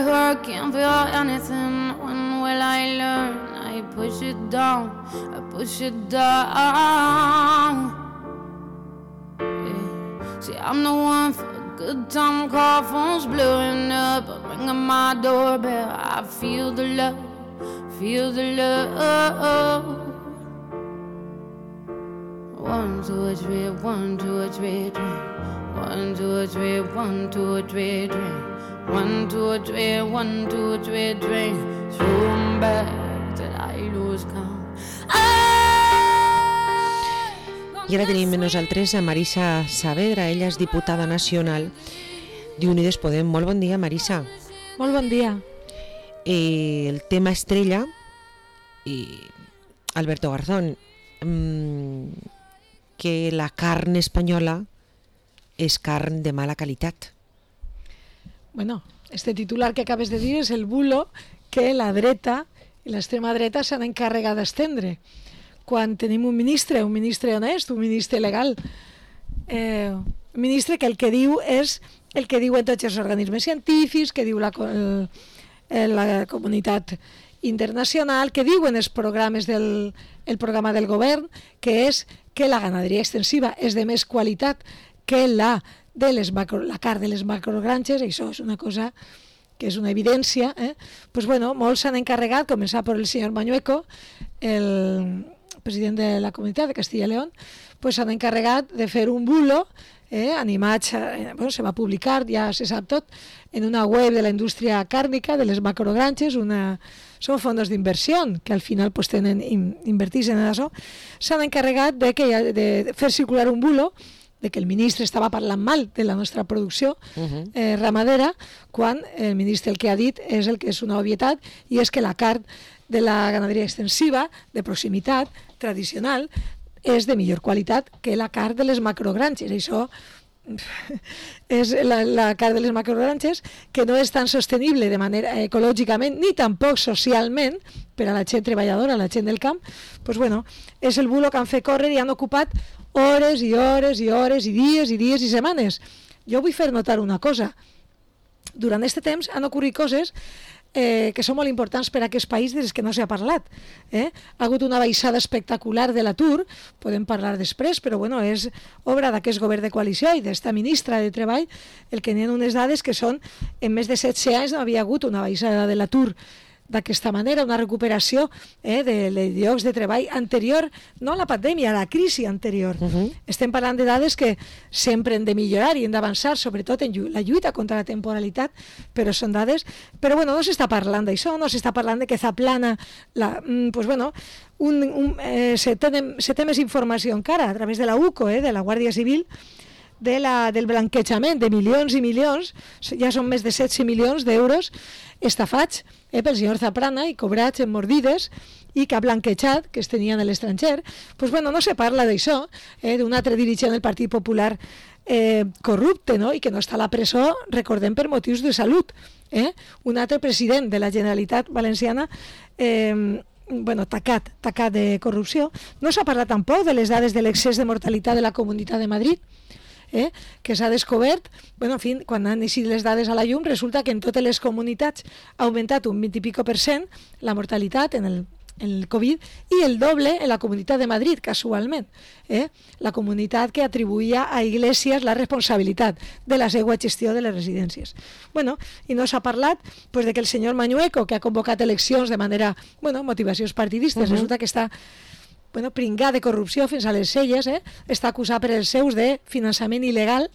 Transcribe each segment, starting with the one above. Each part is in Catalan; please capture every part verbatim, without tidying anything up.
I can't feel anything. When will I learn? I push it down, I push it down. Yeah. See, I'm the one for a good time call, phone's blowing up, ringing my doorbell. I feel the love, feel the love. One, two, three, one, two, three, three. One, two, three, one, two, three, three. One, two, three, one, two, three, three. Through 'em back till I lose count. I ara tenim amb nosaltres a Marisa Saavedra, ella és diputada nacional d'Unides Podem. Molt bon dia, Marisa. Molt bon dia. Eh, el tema estrella, i Alberto Garzón, mmm, que la carn espanyola és carn de mala qualitat. Bueno, este titular que acabes de dir és el bulo que la dreta i l'extrema dreta s'han encarregat d'estendre. Quan tenim un ministre, un ministre honest, un ministre legal, eh, un ministre que el que diu és el que diuen tots els organismes científics, que diu la, el, la comunitat internacional, que diuen els programes del el programa del govern, que és que la ganaderia extensiva és de més qualitat que la de les macro, la carn de les macrogranges. Això és una cosa que és una evidència. Eh? Pues bueno, molts s'han encarregat, començar per el senyor Mañueco, el president de la Comunitat de Castilla y León, pues s'han encarregat de fer un bulo, eh, animats, eh, bueno, se va publicar, ja se sap tot, en una web de la indústria càrnica, de les macrogranges, una... són fondos d'inversió que al final pues, tenen, invertís en això, s'han encarregat de, que, de fer circular un bulo de que el ministre estava parlant mal de la nostra producció uh-huh. eh, ramadera, quan el ministre el que ha dit és el que és una obvietat, i és que la carn de la ganaderia extensiva, de proximitat, tradicional, és de millor qualitat que la carn de les macrogranges. Això és la, la carn de les macrogranges, que no és tan sostenible de manera ecològicament ni tampoc socialment per a la gent treballadora, la gent del camp. Pues bueno, és el bulo que han fet córrer i han ocupat hores i hores i hores i dies i dies i setmanes. Jo vull fer notar una cosa. Durant aquest temps han ocorrit coses eh, que són molt importants per a aquest país des que no s'ha parlat. Eh? Ha hagut una baixada espectacular de l'atur, podem parlar després, però bueno, és obra d'aquest govern de coalició i d'esta ministra de Treball el que n'hi ha unes dades que són en més de setze anys no havia hagut una baixada de l'atur d'aquesta manera, una recuperació eh, de, de llocs de treball anterior, no a la pandèmia, a la crisi anterior. Uh-huh. Estem parlant de dades que sempre hem de millorar i hem d'avançar, sobretot en la lluita contra la temporalitat, però són dades... Però bueno, no s'està parlant d'això, no s'està parlant de que Zaplana... La, pues bueno, un, un, eh, se, té, se té més informació encara a través de la U C O, eh, de la Guàrdia Civil, de la, del blanquejament de milions i milions, ja són més de setze milions d'euros estafats eh, pel senyor Zaplana i cobrats en mordides i que ha blanquejat, que es tenien a l'estranger. Pues bueno, no se parla d'això, eh, d'un altre dirigent del Partit Popular eh, corrupte, no? I que no està a la presó, recordem, per motius de salut. Eh? Un altre president de la Generalitat Valenciana eh, bueno, tacat, tacat de corrupció. No s'ha parlat tampoc de les dades de l'excés de mortalitat de la Comunitat de Madrid, Eh, que s'ha descobert, bueno, en fi, quan han eixit les dades a la llum, resulta que en totes les comunitats ha augmentat un vint i pico per cent la mortalitat en el, en el Covid, i el doble en la Comunitat de Madrid, casualment. Eh? La comunitat que atribuïa a Iglesias la responsabilitat de la seva gestió de les residències. Bueno, i no s'ha parlat pues, de que el senyor Mañueco, que ha convocat eleccions de manera, bueno, motivacions partidistes, uh-huh. resulta que està bueno, pringat de corrupció fins a les celles, eh? Està acusat per els seus de finançament il·legal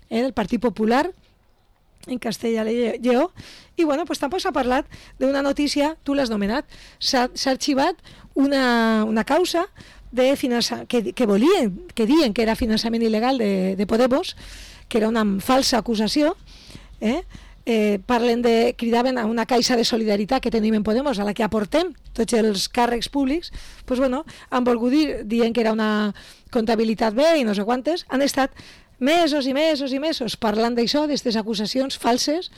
eh, del Partit Popular en Castella i Lleó, i bueno, pues tampoc s'ha parlat d'una notícia, tu l'has nomenat, s'ha, s'ha arxivat una, una causa de finança, que, que volien, que diuen que era finançament il·legal de, de Podemos, que era una falsa acusació, eh? Eh, parlen de, cridaven a una caixa de solidaritat que tenim en Podemos, a la que aportem tots els càrrecs públics, pues bueno, han volgut dir, dient que era una comptabilitat bé i no sé quantes, han estat mesos i mesos i mesos parlant d'això, d'aquestes acusacions falses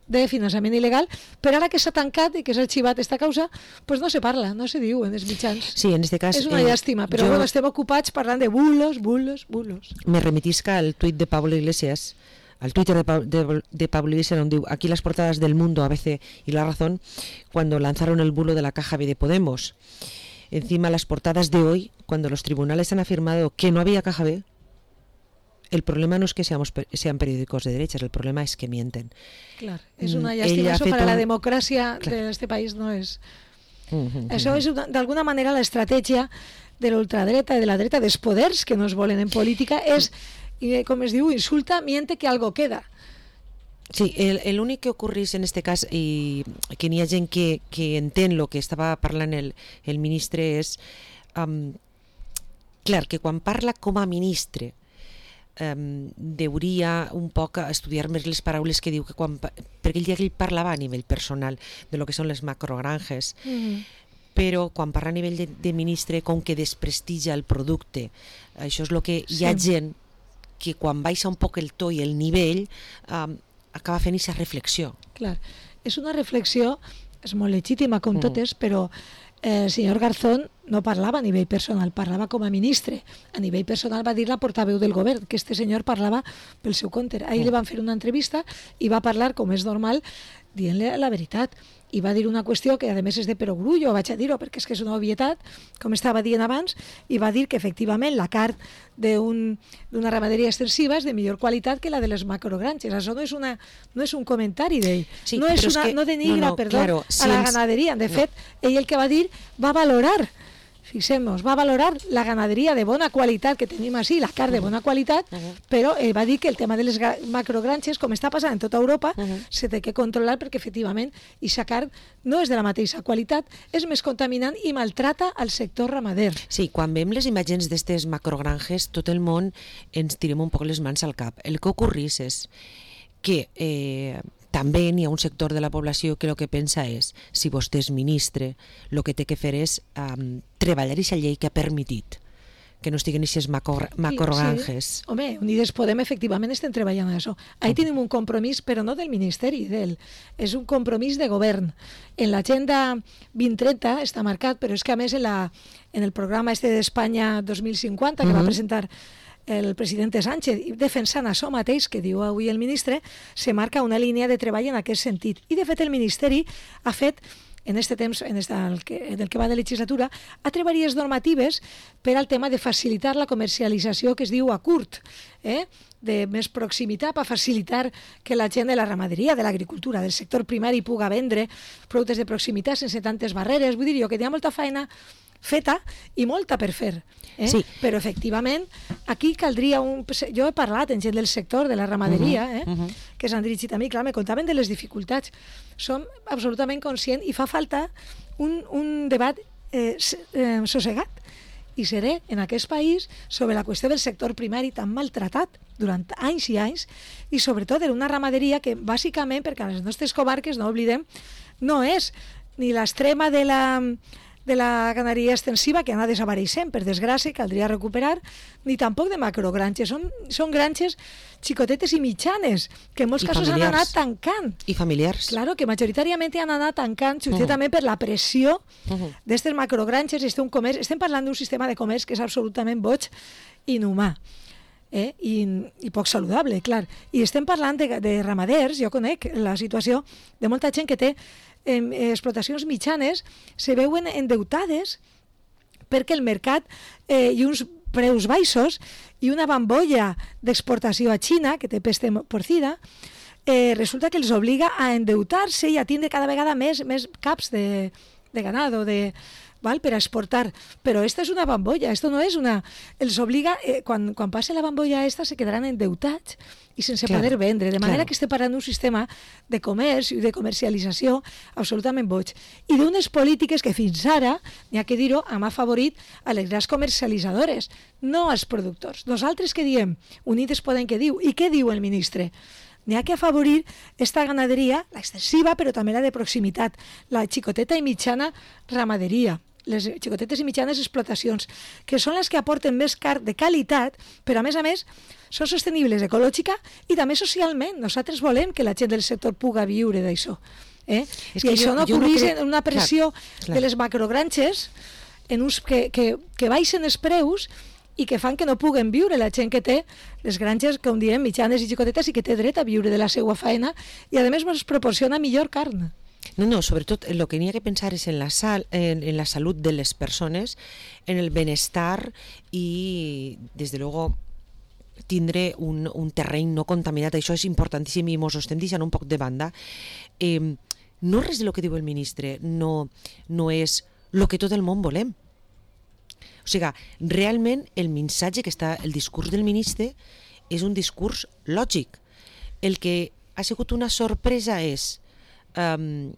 de finançament il·legal, però ara que s'ha tancat i que s'ha arxivat aquesta causa, pues no se parla, no se diu en els mitjans. Sí, en este cas... És una eh, llàstima, però jo... bueno, estem ocupats parlant de bulos, bulos, bulos. Me remitisca al tuit de Pablo Iglesias, al Twitter de, de, de Pablo Iglesias, donde aquí las portadas del Mundo, A B C y La Razón, cuando lanzaron el bulo de la caja B de Podemos. Encima las portadas de hoy, cuando los tribunales han afirmado que no había caja B, el problema no es que seamos, sean periódicos de derechas, el problema es que mienten. Claro, es una llàstima, eso para la democracia claro. de este país no es... Uh-huh, això uh-huh. és d'alguna manera l'estratègia de l'ultradreta i de la dreta dels poders que no es volen en política és, com es diu, insulta, miente que algo queda. Sí, el, el únic que ocorrís en este cas i que n'hi ha gent que, que entén el que estava parlant el, el ministre és um, clar, que quan parla com a ministre um, deuria un poc estudiar més les paraules que diu que quan, perquè ell ja ell parlava a nivell personal de lo que són les macrogranges mm. però quan parla a nivell de, de ministre com que desprestigia el producte, això és el que sí. hi ha gent que quan baixa un poc el to i el nivell um, acaba fent aquesta reflexió. Clar, és una reflexió, és molt legítima com uh-huh. totes, però eh, el senyor Garzón no parlava a nivell personal, parlava com a ministre. A nivell personal va dir la portaveu del govern, que este senyor parlava pel seu compte. Ahir uh-huh. li van fer una entrevista i va parlar, com és normal, dient-li la veritat. I va dir una qüestió que a més és de perogrullo, vaig a dir-ho perquè és que és una obvietat, com estava dient abans, i va dir que efectivament la carn d'una un, ramaderia extensiva és de millor qualitat que la de les macrogranges. Això no és, una, no és un comentari d'ell, sí, no, és una, que, no denigra no, no, perdó, claro, si a la ens... ganaderia. De fet, no. ell el que va dir va valorar, fixem-nos, va valorar la ganaderia de bona qualitat que tenim així, la carn de bona qualitat, uh-huh. però eh, va dir que el tema de les macrogranges, com està passant en tota Europa, uh-huh. se té que controlar perquè efectivament aquesta carn no és de la mateixa qualitat, és més contaminant i maltrata al sector ramader. Sí, quan veiem les imatges d'aquestes macrogranges, tot el món ens tirem un poc les mans al cap. El que ocorrís és que eh, també n'hi ha un sector de la població que el que pensa és, si vostè és ministre, el que té que fer és um, treballar aquesta llei que ha permitit que no estiguen aquestes macrogranges. Sí, sí. Home, Unides Podem efectivament estem treballant en això. Ahí tenim un compromís, però no del Ministeri, d'ell. És un compromís de govern. En l'agenda vint trenta està marcat, però és que a més en, la, en el programa este d'Espanya dos mil cinquanta, que uh-huh. va presentar el president Sánchez, defensant això mateix que diu avui el ministre, se marca una línia de treball en aquest sentit. I de fet el Ministeri ha fet en este temps, en, esta, en, el que, en el que va de legislatura, ha treballat normatives per al tema de facilitar la comercialització que es diu a curt, eh? de més proximitat, per facilitar que la gent de la ramaderia, de l'agricultura, del sector primari puga vendre productes de proximitat sense tantes barreres. Vull dir jo que hi ha molta feina feta i molta per fer. Eh? Sí. Però efectivament aquí caldria un... Jo he parlat amb gent del sector de la ramaderia uh-huh, eh? uh-huh. que s'han dirigit a mi, clar, me contaven de les dificultats. Som absolutament conscients i fa falta un, un debat eh, eh, sossegat i serè en aquest país sobre la qüestió del sector primari tan maltratat durant anys i anys i sobretot en una ramaderia que bàsicament, perquè a les nostres comarques, no oblidem, no és ni l'extrema de la... de la ganaderia extensiva que anà desapareixent, per desgràcia, caldria recuperar, ni tampoc de macrogranges. Són, són granges xicotetes i mitjanes, que en molts I casos familiars. Han anat tancant. I familiars. Claro, que majoritàriament han anat tancant, justament uh-huh. per la pressió uh-huh. d'aquestes macrogranges. Este un comerç, estem parlant d'un sistema de comerç que és absolutament boig i inhumà. Eh? I, i poc saludable, clar. I estem parlant de, de ramaders, jo conec la situació de molta gent que té eh, explotacions mitjanes, se veuen endeutades perquè el mercat eh, i uns preus baixos i una bambolla d'exportació a Xina, que té peste porcina, eh, resulta que els obliga a endeutar-se i a tindre cada vegada més, més caps de, de ganado, de... Val, per a exportar, però esta és una bambolla, esto no és una... Els obliga, eh, quan, quan passe la bambolla esta se quedaran endeutats i sense claro, poder vendre, de manera claro. que estem parlant d'un sistema de comerç i de comercialització absolutament boig. I d'unes polítiques que fins ara, n'hi ha que dir-ho, hem afavorit a les grans comercialitzadores, no als productors. Nosaltres què diem? Unides Podem què diu? I què diu el ministre? N'hi ha que afavorir esta ganaderia, la extensiva, però també la de proximitat, la xicoteta i mitjana ramaderia, les xicotetes i mitjanes explotacions, que són les que aporten més carn de qualitat, però a més a més són sostenibles ecològica i també socialment. Nosaltres volem que la gent del sector puga viure d'això. Eh? I això jo, no ocorreix no crec... en una pressió clar, clar. de les macrogranges en uns que, que, que baixen els preus i que fan que no puguen viure la gent que té les granges, com diem, mitjanes i xicotetes i que té dret a viure de la seva feina i a més ens proporciona millor carn. No, no, sobretot el que n'hi ha que pensar és en la, sal, en, en la salut de les persones, en el benestar i, des de luego, tindre un, un terreny no contaminat. Això és importantíssim i mos ho estem deixant un poc de banda. Eh, no res del que diu el ministre no, no és el que tot el món volem. O sigui, realment el missatge que està, el discurs del ministre és un discurs lògic. El que ha sigut una sorpresa és Um,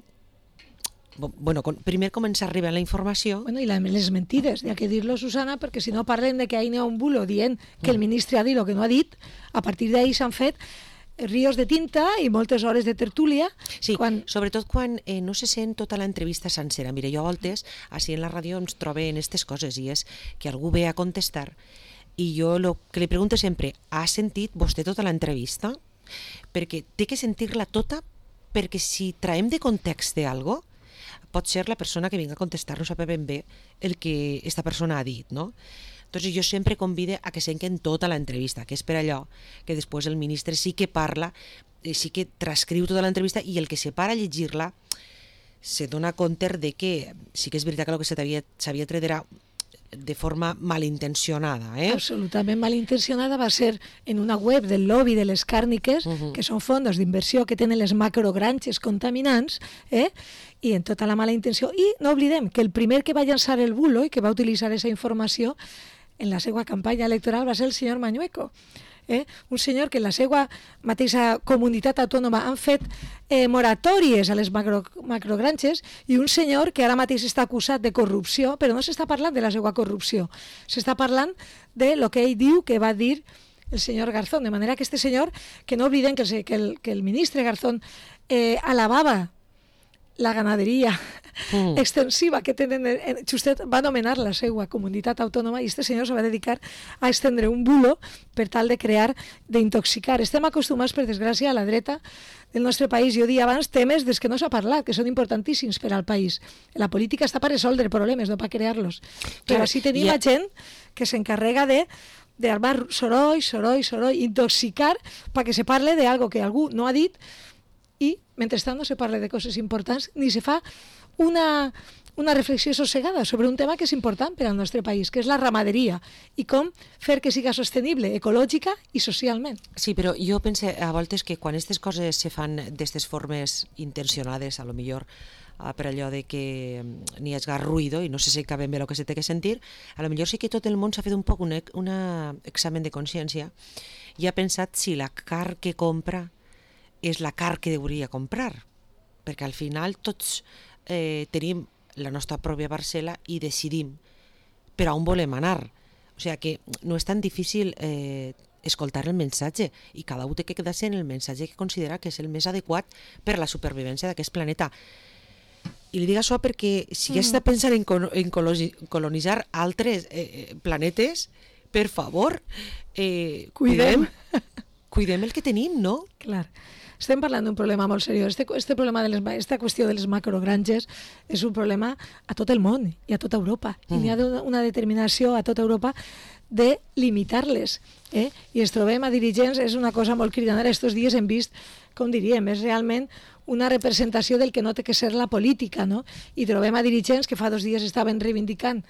bueno, primer comença a arribar la informació. Bueno, i la, les mentides, hi ha que dir-lo, Susana, perquè si no parlem de que ahir n'hi ha un bulo dient que el ministre ha dit el que no ha dit, a partir d'ahir s'han fet rios de tinta i moltes hores de tertúlia. Sí, quan... sobretot quan eh, no se sent tota l'entrevista sencera. Mira, jo a voltes, així en la ràdio ens trobe en aquestes coses, i és que algú ve a contestar i jo lo que li pregunto sempre, ha sentit vostè tota l'entrevista? Perquè té que sentir-la tota, perquè si traiem de context d'algo, pot ser la persona que vinga a contestar no sap ben bé el que esta persona ha dit, no? Entonces jo sempre convide a que senquen tota l'entrevista, que és per allò que després el ministre sí que parla, sí que transcriu tota l'entrevista i el que se para a llegir-la se dona compte de que sí que és veritat que el que s'havia tret era de forma malintencionada. Eh? Absolutament malintencionada. Va ser en una web del lobby de les càrniques, uh-huh. que són fondos d'inversió que tenen les macrogranges contaminants, eh? I en tota la mala intenció. I no oblidem que el primer que va llançar el bulo i que va utilitzar aquesta informació en la seva campanya electoral va ser el senyor Mañueco. Eh? Un senyor que en la seva mateixa comunitat autònoma han fet eh, moratòries a les macro, macrogranges i un senyor que ara mateix està acusat de corrupció, però no s'està parlant de la seva corrupció, s'està parlant de lo que ell diu que va dir el senyor Garzón, de manera que este senyor, que no obliden que el, que el, que el ministre Garzón eh, alabava la ganaderia mm. extensiva que tenen, justet va anomenar la seva comunitat autònoma i este senyor se va dedicar a estendre un bulo per tal de crear, d'intoxicar. Estem acostumats, per desgràcia, a la dreta del nostre país, jo dia abans, temes dels que no s'ha parlat, que són importantíssims per al país. La política està per resoldre problemes, no per crear-los. Però així tenim yeah. gent que s'encarrega de d'armar soroll, soroll, soroll, intoxicar perquè se parle de algo que algú no ha dit i, mentrestant, no se parla de coses importants ni se fa una, una reflexió sossegada sobre un tema que és important per al nostre país, que és la ramaderia i com fer que siga sostenible ecològica i socialment. Sí, però jo pense a voltes que quan aquestes coses se fan d'aquestes formes intencionades, a lo millor per allò de que n'hi hagi ruïdo i no se sent ben bé el que se té que sentir, a lo millor sí que tot el món s'ha fet un poc un, un examen de consciència i ha pensat si la carn que compra és la carn que hauria comprar, perquè al final tots eh, tenim la nostra pròpia parcel·la i decidim per a on volem anar. O sigui que no és tan difícil eh, escoltar el missatge i cada un té que quedar-se en el missatge que considera que és el més adequat per a la supervivència d'aquest planeta. I li dic això perquè si ja està pensant en, en colonitzar altres eh, planetes, per favor, eh, cuidem, cuidem el que tenim, no? Clar. Estem parlant d'un problema molt seriós. Este, este problema de les, esta qüestió de les macrogranges és un problema a tot el món i a tota Europa. Mm. I n'hi ha una determinació a tota Europa de limitar-les. Eh? I ens trobem a dirigents, és una cosa molt cridanera. Estos dies hem vist, com diríem, és realment una representació del que no té que ser la política, no? I trobem a dirigents que fa dos dies estaven reivindicant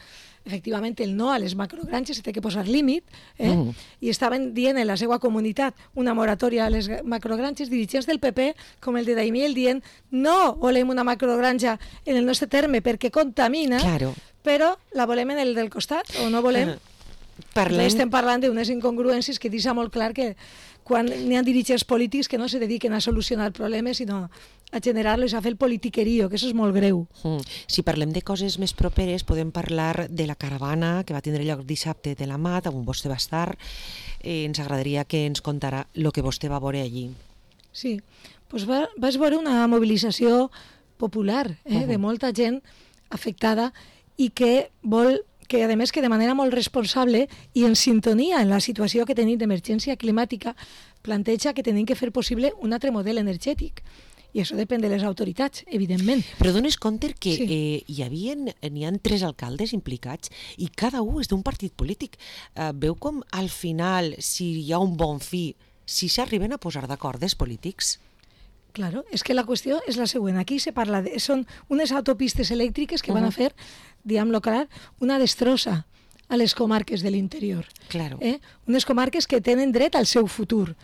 efectivament el no a les macrogranges, se té que posar límit, eh? Mm. i estaven dient en la seva comunitat una moratòria a les macrogranges, dirigents del P P, com el de Daimiel, dient no volem una macrogranja en el nostre terme perquè contamina, claro. però la volem en el del costat, o no volem... Uh. Parlem... Estem parlant d'unes incongruències que deixa molt clar que quan n'hi ha dirigents polítics que no se dediquen a solucionar problemes, sinó a generar-los, a fer el politiquerío, que això és molt greu. Mm. Si parlem de coses més properes, podem parlar de la caravana que va tindre lloc dissabte de la Mat, on vostè va estar. Eh, ens agradaria que ens contara el que vostè va veure allí. Sí, doncs va, vas veure una mobilització popular, eh, uh-huh. de molta gent afectada i que vol que a més que de manera molt responsable i en sintonia en la situació que tenim d'emergència climàtica planteja que tenim que fer possible un altre model energètic i això depèn de les autoritats, evidentment. Però dones compte que Sí. eh, hi havia, n'hi ha tres alcaldes implicats i cada un és d'un partit polític. Eh, veu com al final, si hi ha un bon fi, si s'arriben a posar d'acord els polítics? Claro, és que la qüestió és la següent. Aquí se parla de... Són unes autopistes elèctriques que van a fer, diguem-lo clar, una destrossa a les comarques de l'interior. Claro. Eh? Unes comarques que tenen dret al seu futur,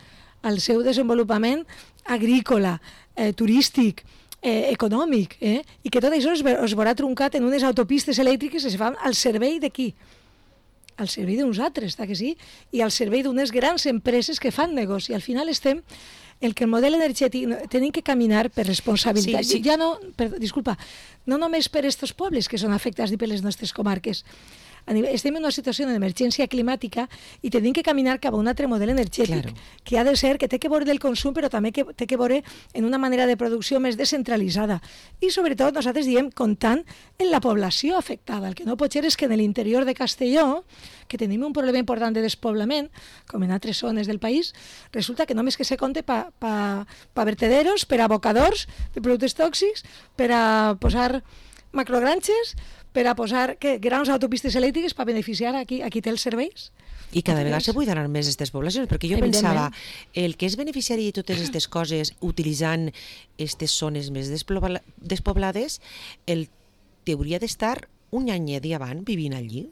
al seu desenvolupament agrícola, eh, turístic, eh, econòmic, eh? I que tot això es, ve- es veurà truncat en unes autopistes elèctriques que es fan al servei de qui? Al servei d'uns altres, està que sí? I al servei d'unes grans empreses que fan negoci. Al final estem el que el model energètic tenim que caminar per responsabilitat. Sí, sí. Ja no, per, disculpa, no només per estos pobles que són afectats i per les nostres comarques. A nivell, estem en una situació d'emergència climàtica i tenim que caminar cap a un altre model energètic, Claro. que ha de ser, que té que veure del consum, però també que té que veure en una manera de producció més descentralitzada. I sobretot nosaltres diem comptant en la població afectada. El que no pot ser és que en l'interior de Castelló, que tenim un problema important de despoblament, com en altres zones del país, resulta que només que se compte pa, pa, pa vertederos, per a abocadors de productes tòxics, per a posar macrogranxes, per a posar que, grans autopistes elèctriques per beneficiar a qui, a qui té els serveis. I cada vegada se buidaran més aquestes poblacions, perquè jo pensava, el que és beneficiari de totes aquestes coses utilitzant aquestes zones més despobla- despoblades, el t'hauria d'estar un anyet i avant vivint allí.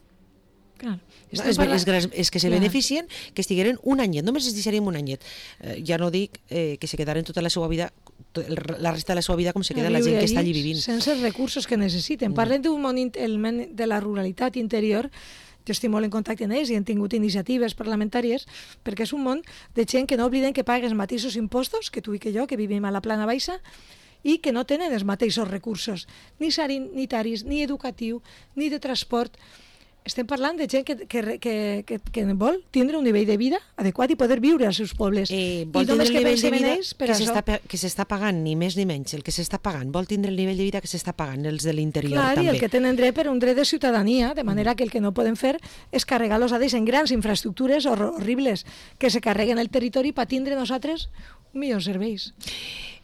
Clar. És, és, és, és que se Clar. beneficien que estigueren un anyet, només es deixarien un anyet. Eh, ja no dic eh, que se quedaren tota la seva vida, to- el- la resta de la seva vida com se queda la gent que està allí vivint. Sense els recursos que necessiten. Parlem d'un món, int- el món de la ruralitat interior. Jo estic molt en contacte amb ells i han tingut iniciatives parlamentàries perquè és un món de gent que no obliden que paga els mateixos impostos que tu i que jo, que vivim a la plana baixa, i que no tenen els mateixos recursos, ni sanitaris, ni educatiu, ni de transport. Estem parlant de gent que, que, que, que, que vol tindre un nivell de vida adequat i poder viure als seus pobles. Eh, I vol tindre només el que nivell de pensem en vida ells per que això. s'està pa- que s'està pagant, ni més ni menys, el que s'està pagant. Vol tindre el nivell de vida que s'està pagant, els de l'interior Clar, també. i el que tenen dret per un dret de ciutadania, de manera que el que no poden fer és carregar-los a ells en grans infraestructures hor horribles que se carreguen el territori per tindre nosaltres un millor serveis.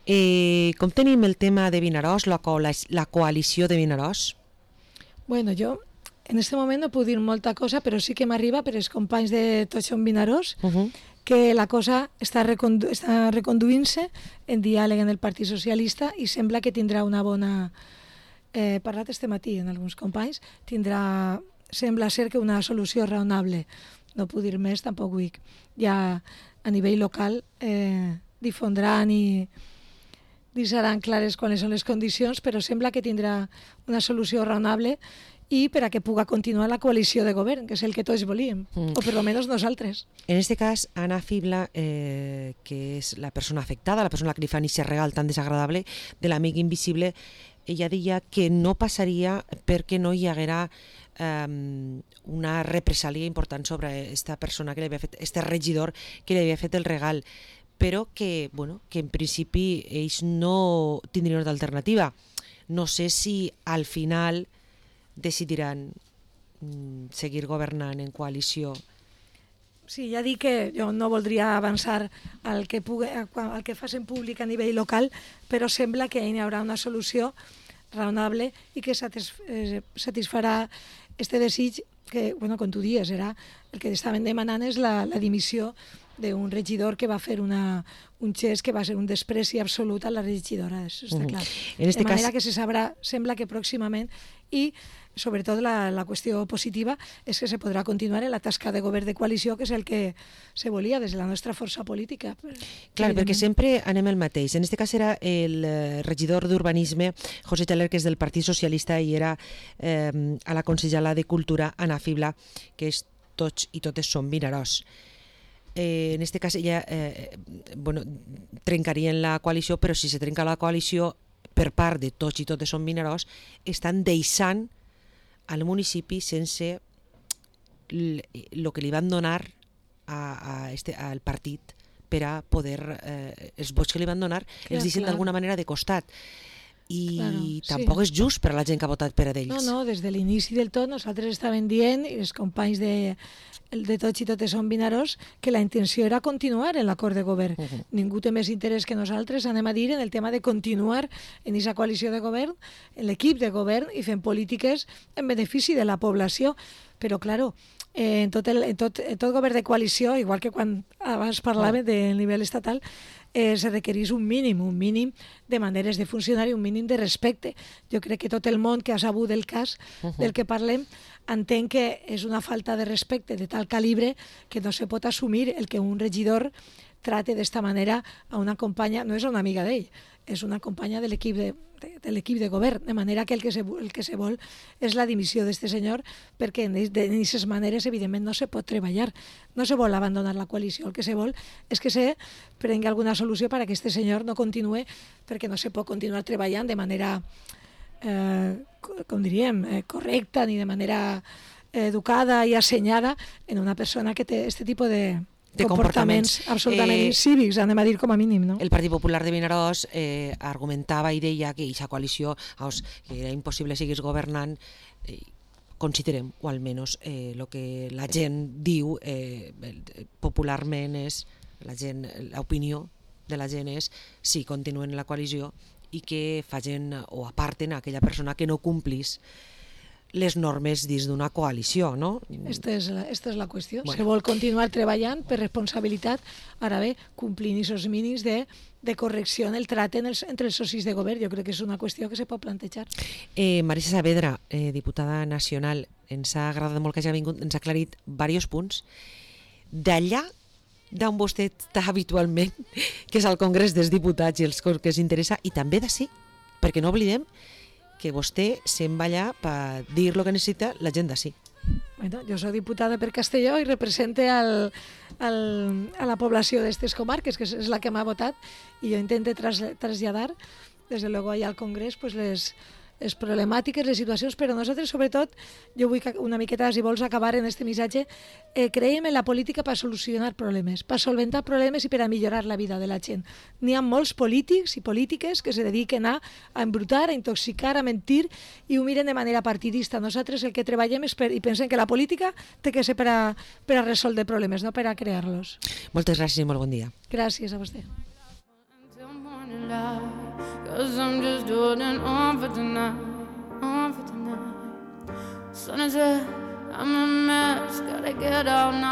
Eh, com tenim el tema de Vinaròs, la, co la coalició de Vinaròs? Bueno, jo en este moment no puc dir molta cosa, però sí que m'arriba per els companys de Tots som Vinaròs, Uh -huh. que la cosa està, recondu està reconduint-se en diàleg en el Partit Socialista i sembla que tindrà una bona... He eh, parlat este matí amb alguns companys, tindrà, sembla ser que una solució raonable. No puc dir més, tampoc vull. Ja a nivell local eh, difondran i deixaran clares quines són les condicions, però sembla que tindrà una solució raonable i per a que puga continuar la coalició de govern, que és el que tots volíem, Mm. o per lo menos nosaltres. En este cas, Anna Fibla, eh, que és la persona afectada, la persona que li fa aquest regal tan desagradable de l'amic invisible, ella deia que no passaria perquè no hi haguera um, una represàlia important sobre aquesta persona que li havia fet, este regidor que li havia fet el regal, però que, bueno, que en principi ells no tindrien d'alternativa. No sé si al final decidiran mm, seguir governant en coalició. Sí, ja dic que jo no voldria avançar al que, pugui, al que facin públic a nivell local, però sembla que hi haurà una solució raonable i que satis, eh, satisfarà este desig que, bueno, com tu dies, era, el que estaven demanant és la, la dimissió d'un regidor que va fer una, un gest que va ser un despreci absolut a la regidora, això està Uh-huh. clar. En este de manera cas- que se sabrà, sembla que pròximament, i sobretot la, la qüestió positiva és que se podrà continuar en la tasca de govern de coalició, que és el que se volia des de la nostra força política. Clar, Evidentment. perquè sempre anem el mateix. En aquest cas era el eh, regidor d'Urbanisme, José Teler, que és del Partit Socialista, i era eh, a la consellera de Cultura, Anna Fibla, que és Tots i totes som Vinaròs. Eh, en aquest cas ella eh, bueno, trencarien la coalició, però si se trenca la coalició per part de Tots i totes som Vinaròs, estan deixant al municipi sense el que li van donar a, a este, al partit per a poder, eh, els vots que li van donar, Clar, els deixen clar. d'alguna manera de costat. i Claro, tampoc sí. és just per a la gent que ha votat per a ells. No, no, des de l'inici del tot nosaltres estàvem dient, i els companys de, de Tots i Totes són Vinaròs, que la intenció era continuar en l'acord de govern. Uh -huh. Ningú té més interès que nosaltres, anem a dir, en el tema de continuar en aquesta coalició de govern, en l'equip de govern i fent polítiques en benefici de la població. Però, claro, eh, en, tot el, en, tot, en tot govern de coalició, igual que quan abans parlava del nivell estatal, eh, se requereix un mínim, un mínim de maneres de funcionar i un mínim de respecte. Jo crec que tot el món que ha sabut del cas uh-huh. del que parlem entenc que és una falta de respecte de tal calibre que no se pot assumir el que un regidor trate d'esta manera a una companya, no és una amiga d'ell, és una companya de l'equip de, de, de l'equip de govern, de manera que el que se, el que se vol és la dimissió d'aquest senyor, perquè d'aquestes maneres, evidentment, no se pot treballar. No se vol abandonar la coalició, el que se vol és que se prengui alguna solució perquè aquest senyor no continue, perquè no se pot continuar treballant de manera, eh, com diríem, eh, correcta, ni de manera eh, educada i assenyada en una persona que té aquest tipus de de comportaments, comportaments absolutament eh, incívics, anem a dir com a mínim, no? El Partit Popular de Vinaròs eh, argumentava i deia que aquesta coalició, vamos, que era impossible seguir governant, eh, considerem, o almenys el eh, que la gent diu eh, popularment és, la gent, l'opinió de la gent és si continuen en la coalició i que facin o aparten a aquella persona que no complís les normes dins d'una coalició, no? Esta és la, esta és la qüestió. Bueno. Se vol continuar treballant per responsabilitat, ara bé, complint aquests mínims de, de correcció en el tracte en els, entre els socis de govern. Jo crec que és una qüestió que se pot plantejar. Eh, Marisa Saavedra, eh, diputada nacional, ens ha agradat molt que hagi vingut, ens ha aclarit diversos punts. D'allà d'on vostè està habitualment, que és al Congrés dels Diputats i els que s'interessa, i també d'ací, perquè no oblidem que vostè se'n va allà per dir el que necessita la gent d'ací. Bueno, jo soc diputada per Castelló i represente al, al, a la població d'aquestes comarques, que és la que m'ha votat, i jo intento tras, traslladar, des de luego allà al Congrés, pues les, les problemàtiques, les situacions, però nosaltres, sobretot, jo vull que una miqueta, si vols acabar en este missatge, eh, creiem en la política per solucionar problemes, per solventar problemes i per a millorar la vida de la gent. N'hi ha molts polítics i polítiques que se dediquen a, a embrutar, a intoxicar, a mentir i ho miren de manera partidista. Nosaltres el que treballem és per, i pensem que la política té que ser per a, per a resoldre problemes, no per a crear-los. Moltes gràcies i molt bon dia. Gràcies a vostè. Cause I'm just holding on for tonight, on for tonight. Sun is up, I'm a mess, gotta get out now.